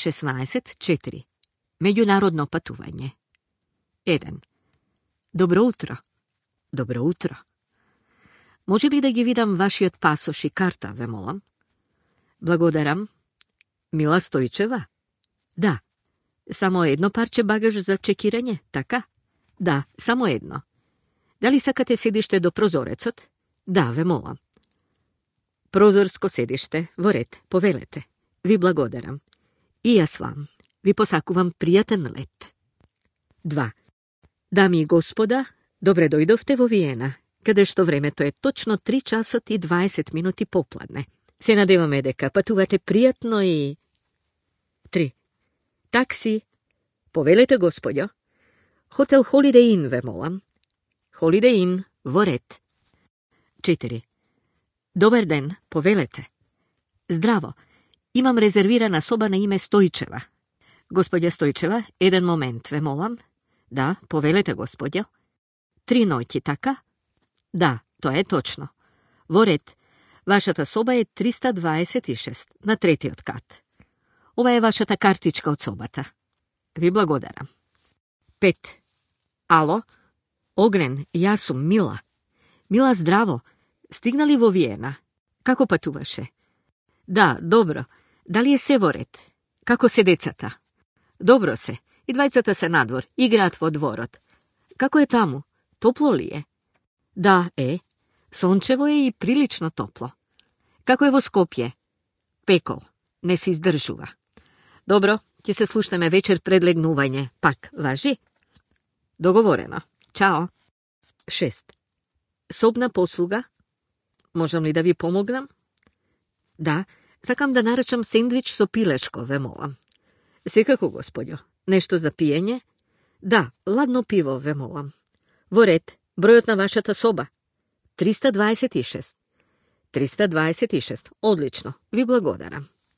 16.4. Меѓународно патување. 1. Добро утро. Добро утро. Може ли да ги видам вашиот пасош и карта, ве молам? Благодарам. Мила Стојчева? Да. Само едно парче багаж за чекирање, така? Да, само едно. Дали сакате седиште до прозорецот? Да, ве молам. Прозорско седиште, во ред, повелете. Ви благодарам. И јас вам. Ви посакувам пријатен лет. 2. Дами и господа, добре дојдовте во Виена, каде што времето е точно 3 часот и 20 минути попладне. Се надеваме дека патувате пријатно и... 3. Такси. Повелете, господјо. Хотел Holiday Inn, ве молам. Holiday Inn, во ред. 4. Добар ден, повелете. Здраво. Имам резервирана соба на име Стојчева. Господја Стојчева, еден момент, ве молам. Да, повелете, господјо. 3 ноќи, така? Да, тоа е точно. Во ред. Вашата соба е 326 на 3-тиот кат. Ова е вашата картичка од собата. Ви благодарам. 5. Ало? Огнен, јас сум Мила. Мила, здраво. Стигнали во Виена? Како патуваше? Да, добро. Дали е се во ред? Како се децата? Добро се. И двајцата се надвор, играат во дворот. Како е таму? Топло ли е? Да, е. Сончево е и прилично топло. Како е во Скопје? Пекол. Не се издржува. Добро, ќе се слушнеме вечер пред легнување. Пак, важи? Договорено. Чао. 6. Собна послуга? Можам ли да ви помогнам? Да, сакам да нарачам сендвич со пилешко, ве молам. Секако, господјо. Нешто за пиење? Да, ладно пиво, ве молам. Во ред, бројот на вашата соба? 326. 326. Одлично, ви благодарам.